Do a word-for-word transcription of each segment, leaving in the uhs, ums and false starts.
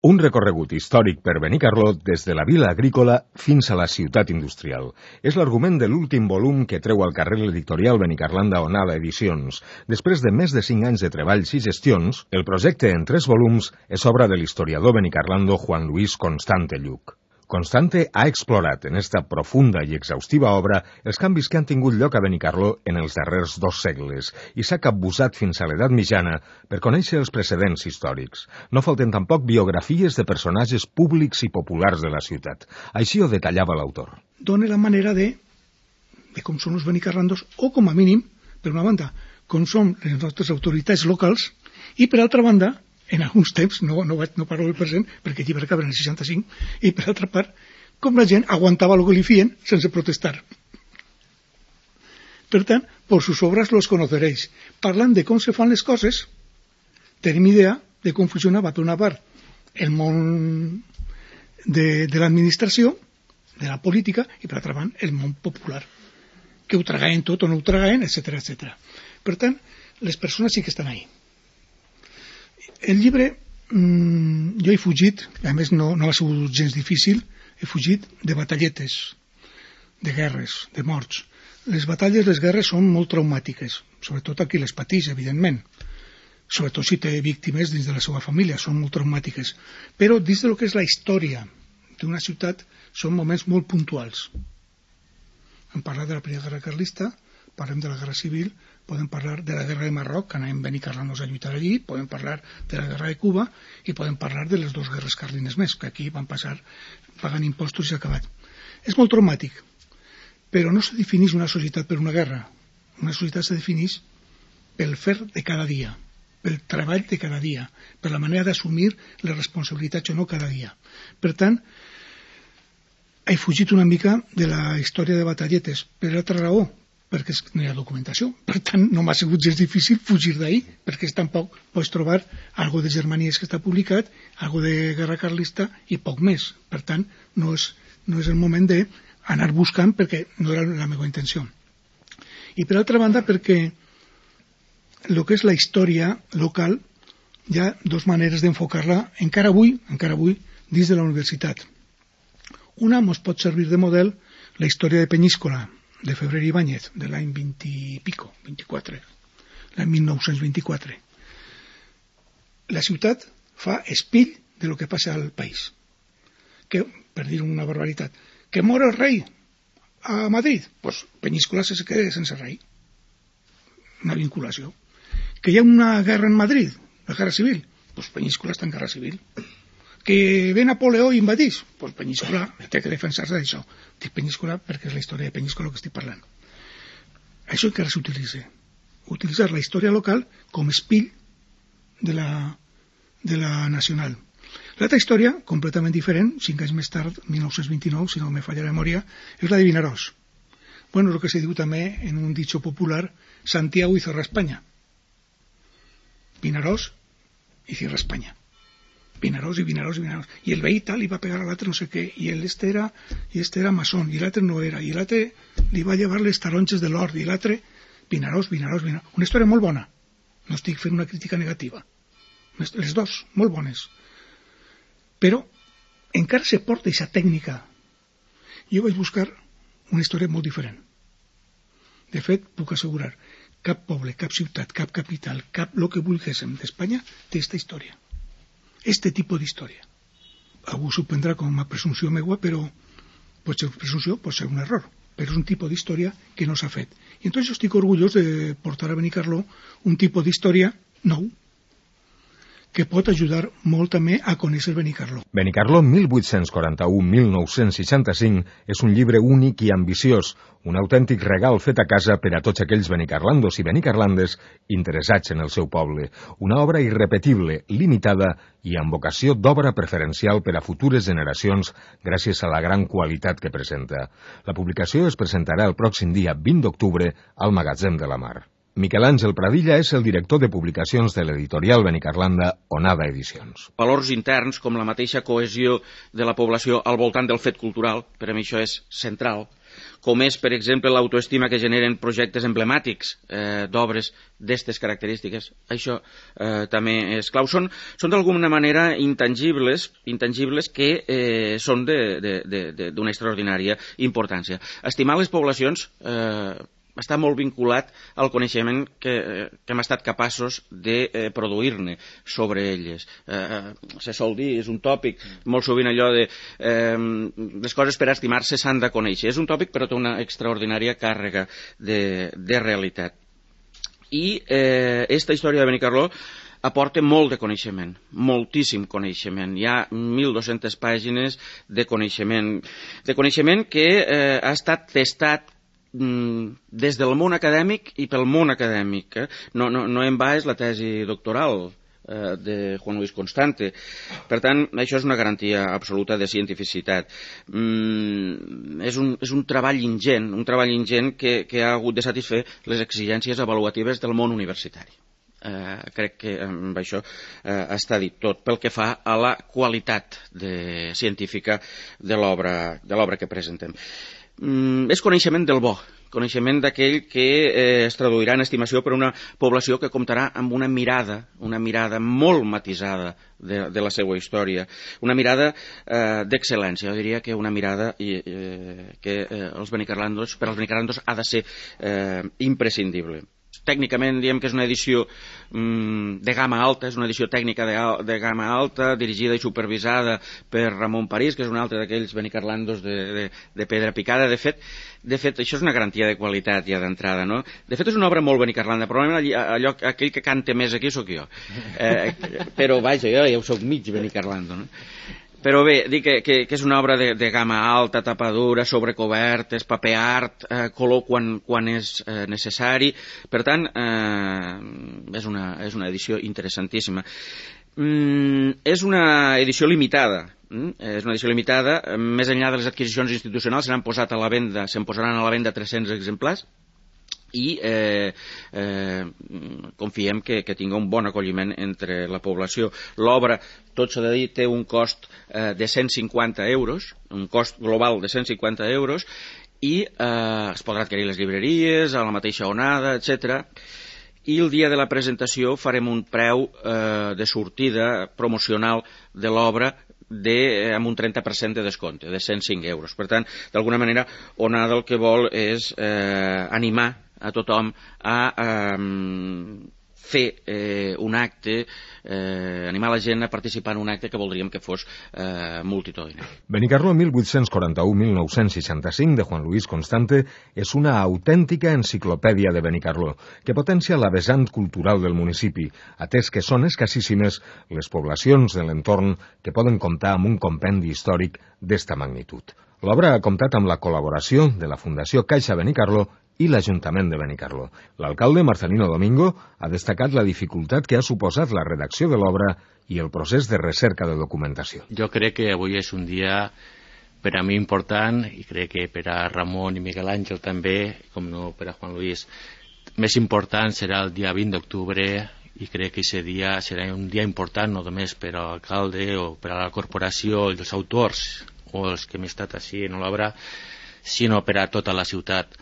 Un recorregut històric per Benicarló des de la vila agrícola fins a la ciutat industrial. És l'argument de l'últim volum que treu al carrer l'editorial Benicarlanda Onada Edicions. Després de més de cinc anys de treballs i gestions, el projecte en tres volums és obra de l'historiador benicarlando Juan Luis Constante Lluch. Constante ha explorat en esta profunda i exhaustiva obra els canvis que han tingut lloc a Benicarló en els darrers dos segles i s'ha capbussat fins a l'edat mitjana per conèixer els precedents històrics. No falten tampoc biografies de personatges públics i populars de la ciutat. Així ho detallava l'autor. Dona la manera de, de com són els benicarlandos, o com a mínim, per una banda, com són les nostres autoritats locals, i per altra banda, en alguns temps, no, no, no parlo del present, perquè el llibre acaba en el seixanta-cinc, i per altra part, com la gent aguantava el que li fien sense protestar. Per tant, por sus obras los conoceréis. Parlant de com se fan les coses, tenim idea de com funcionava, per una part, el món de, de l'administració, de la política, i per altra banda, el món popular, que ho tragaven tot o no ho tragaven, etcètera, etcètera. Per tant, les persones sí que estan ahí. El llibre, mmm, jo he fugit, a més no, no ha sigut gens difícil, he fugit de batalletes, de guerres, de morts. Les batalles, les guerres són molt traumàtiques, sobretot a qui les pateix, evidentment. Sobretot si té víctimes dins de la seva família, són molt traumàtiques. Però dins de lo que és la història d'una ciutat, són moments molt puntuals. Hem parlat de la Primera Guerra Carlista, parlem de la Guerra Civil, podem parlar de la Guerra de Marroc, que anàvem benicarlandos a lluitar allí, podem parlar de la Guerra de Cuba i podem parlar de les dues guerres carlines més, que aquí van passar pagant impostos i s'ha acabat. És molt traumàtic, però no se defineix una societat per una guerra. Una societat se defineix pel fer de cada dia, pel treball de cada dia, per la manera d'assumir les responsabilitats o no cada dia. Per tant, he fugit una mica de la història de batalletes, per altra raó, perquè no hi ha documentació. Per tant, no m'ha sigut gens difícil fugir d'ahir, perquè tampoc pots trobar algo de Germanies que està publicat, algo de Guerra Carlista i poc més. Per tant, no és, no és el moment d'anar buscant, perquè no era la meva intenció. I per altra banda, perquè el que és la història local hi ha dues maneres d'enfocar-la encara avui, encara avui, dins de la universitat. Una ens pot servir de model la història de Peñíscola, de Febrer i Ibáñez, de l'any vint i pico, vint-i-quatre, l'any mil nou-cents vint-i-quatre. La ciutat fa espill de lo que passa al país. Que, per dir una barbaritat, que mor el rei a Madrid, pues Peñíscola se queda sense rei. Una vinculació. Que hi ha una guerra en Madrid, la guerra civil, pues Peñíscola està en guerra civil. Que ve Napoleó i invadís, pues Peñíscola té que defensar-se d'això. Dic Peñíscola perquè és la història de Peñíscola que estic parlant. Això encara s'utilitza. Utilitzar la història local com espill de la, de la nacional. L'altra història, completament diferent, cinc anys més tard, mil nou-cents vint-i-nou, si no me falla la memòria, és la de Vinaròs. Bueno, és el que se diu també en un dicho popular, Santiago hizo España. Vinaròs i Cierra España. Vinaròs i Vinaròs i Vinaròs. I el veí tal li va pegar a l'altre no sé què, i este era, i este era maçon, i l'altre no era, i l'altre li va llevar les taronges de l'or, i l'altre, Vinaròs, Vinaròs, Vinaròs. Una història molt bona. No estic fent una crítica negativa. Les dos, molt bones. Però encara se porta aquesta tècnica. Jo vaig buscar una història molt diferent. De fet, puc assegurar, cap poble, cap ciutat, cap capital, cap lo que vulguéssim d'Espanya té aquesta història. Este tipus d'història. Algú s'ho prendrà com a presumpció meua, però pot ser presumpció, pot ser un error, però és un tipus d'història que no s'ha fet. I entonces jo estic orgullós de portar a Benicarló un tipus d'història nou, que pot ajudar molt també a conèixer Benicarló. Benicarló mil vuit-cents quaranta-u a mil nou-cents seixanta-cinc és un llibre únic i ambiciós, un autèntic regal fet a casa per a tots aquells benicarlandos i benicarlandes interessats en el seu poble. Una obra irrepetible, limitada i amb vocació d'obra preferencial per a futures generacions gràcies a la gran qualitat que presenta. La publicació es presentarà el pròxim dia vint d'octubre al Magatzem de la Mar. Miquel Àngel Pradilla és el director de publicacions de l'editorial Benicarlanda Onada Edicions. Valors interns com la mateixa cohesió de la població al voltant del fet cultural, per a mi això és central, com és, per exemple, l'autoestima que generen projectes emblemàtics eh, d'obres d'aquestes característiques. Això eh, també és clau. Són, són d'alguna manera intangibles, intangibles que eh, són d'una extraordinària importància. Estimar les poblacions eh, està molt vinculat al coneixement que, que hem estat capaços de eh, produir-ne sobre elles. Eh, se sol dir, és un tòpic, molt sovint allò de eh, les coses per estimar-se s'han de conèixer. És un tòpic però té una extraordinària càrrega de, de realitat. I eh, esta història de Benicarló aporta molt de coneixement, moltíssim coneixement. Hi ha mil dues-centes pàgines de coneixement, de coneixement que eh, ha estat testat des del món acadèmic i pel món acadèmic. Eh? No, no, no en va és la tesi doctoral eh, de Juan Luis Constante. Per tant, això és una garantia absoluta de cientificitat. Mm, és, un, és un treball ingent, un treball ingent que, que ha hagut de satisfer les exigències avaluatives del món universitari. Eh, crec que amb això eh, està dit tot pel que fa a la qualitat de, científica de l'obra de l'obra que presentem. Mm, és coneixement del bo, coneixement d'aquell que eh, es traduirà en estimació per una població que comptarà amb una mirada, una mirada molt matisada de, de la seva història, una mirada eh, d'excel·lència. Jo diria que una mirada eh, que eh, els benicarlandos, per als benicarlandos ha de ser eh, imprescindible. Tècnicament diem que és una edició mm, de gamma alta, és una edició tècnica de, de gamma alta, dirigida i supervisada per Ramon París, que és un altre d'aquells benicarlandos de, de, de pedra picada. De fet, de fet, això és una garantia de qualitat ja d'entrada, no? De fet, és una obra molt benicarlanda, probablement allò, allò, aquell que canta més aquí sóc jo. Eh, però vaja, jo ja ho soc mig benicarlando, no? Però bé, dic que, que, que és una obra de, de gamma alta, tapadura, sobrecobertes, paper art, eh, color quan, quan és eh, necessari. Per tant, eh, és, una, és una edició interessantíssima. Mm, és una edició limitada. Mm? És una edició limitada. Més enllà de les adquisicions institucionals, s'han posat a la venda, se'n posaran a la venda tres-cents exemplars. I eh, eh, confiem que, que tinga un bon acolliment entre la població. L'obra, tot s'ha de dir, té un cost eh, de cent cinquanta euros, un cost global de cent cinquanta euros, i eh, es podrà adquirir les llibreries, a la mateixa onada, etcètera. I el dia de la presentació farem un preu eh, de sortida promocional de l'obra de, amb un trenta per cent de descompte, de cent cinc euros. Per tant, d'alguna manera, Onada el que vol és eh, animar a tothom a eh, fer eh, un acte, eh, animar la gent a participar en un acte que voldríem que fos eh, multitudinari. Benicarló mil vuit-cents quaranta-u a mil nou-cents seixanta-cinc de Juan Luis Constante és una autèntica enciclopèdia de Benicarló que potencia la vessant cultural del municipi, atès que són escassíssimes les poblacions de l'entorn que poden comptar amb un compendi històric d'esta magnitud. L'obra ha comptat amb la col·laboració de la Fundació Caixa Benicarló i l'Ajuntament de Benicarló. L'alcalde Marcelino Domingo ha destacat la dificultat que ha suposat la redacció de l'obra i el procés de recerca de documentació. Jo crec que avui és un dia per a mi important, i crec que per a Ramon i Miguel Àngel també, com no per a Juan Luis. Més important serà el dia vint d'octubre, i crec que aquest dia serà un dia important no només per a l'alcalde o per a la corporació i els autors o els que hem estat així en l'obra, sinó per a tota la ciutat.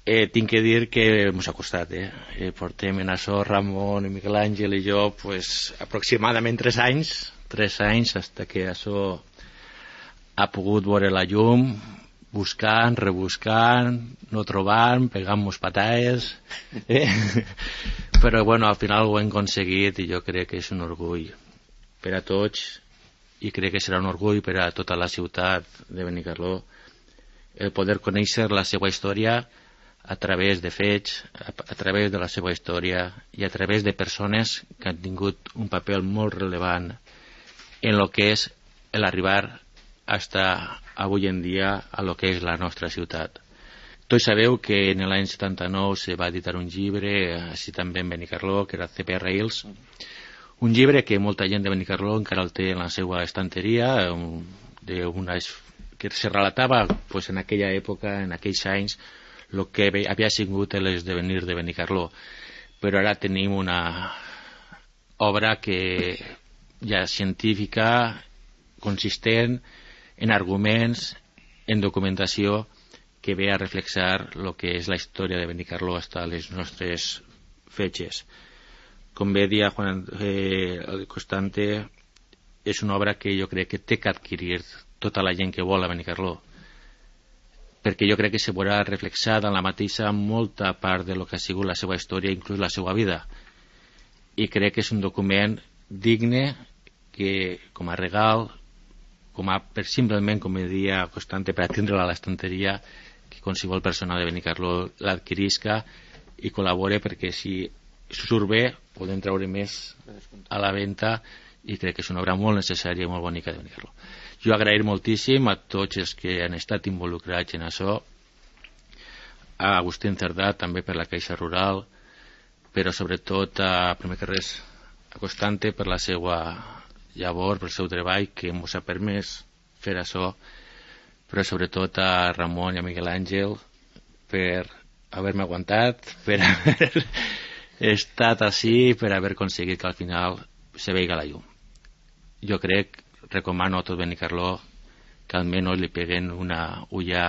Eh, tinc que dir que ens ha costat, eh? eh portem en això Ramon, Miguel Àngel i jo pues, aproximadament tres anys, tres anys hasta que això ha pogut veure la llum, buscant, rebuscant, no trobant, pegant-nos patades, eh? Però bueno, al final ho hem aconseguit i jo crec que és un orgull per a tots i crec que serà un orgull per a tota la ciutat de Benicarló el poder conèixer la seva història a través de fets, a, a través de la seva història i a través de persones que han tingut un paper molt rellevant en el que és l'arribar hasta avui en dia a lo que és la nostra ciutat. Tots sabeu que en l'any setanta-nou se va editar un llibre, així també en Benicarló, que era C P R Hills, un llibre que molta gent de Benicarló encara el té en la seva estanteria, un, de una, que se relatava pues, en aquella època, en aquells anys, el que havia sigut l'esdevenir de Benicarló. Però ara tenim una obra que ja científica, consistent en arguments, en documentació, que ve a reflexar el que és la història de Benicarló fins a les nostres fetges. Com bé dia Juan eh, Constante, és una obra que jo crec que té que adquirir tota la gent que vol a Benicarló, perquè jo crec que se veurà reflexada en la mateixa molta part de lo que ha sigut la seva història, inclús la seva vida, i crec que és un document digne que, com a regal, com a, per simplement, com dia Constante, per atendre-la a l'estanteria, que qualsevol persona de Benicarló l'adquirisca i col·labore, perquè si surt bé podem treure més a la venda, i crec que és una obra molt necessària i molt bonica de Benicarló. Jo agrair moltíssim a tots els que han estat involucrats en això, a Agustín Cerdà també per la Caixa Rural, però sobretot a, primer que res, a Constante per la seva llavor, per el seu treball que ens ha permès fer això, però sobretot a Ramon i a Miguel Àngel per haver-me aguantat, per haver estat així, per haver aconseguit que al final se veiga la llum. Jo crec, recomano a tot Benicarló que almenys li peguen una ulla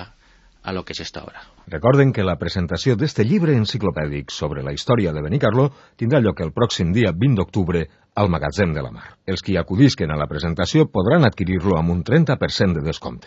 a lo que és esta obra. Recorden que la presentació d'este llibre enciclopèdic sobre la història de Benicarló tindrà lloc el pròxim dia vint d'octubre al Magatzem de la Mar. Els qui acudisquen a la presentació podran adquirir-lo amb un trenta per cent de descompte.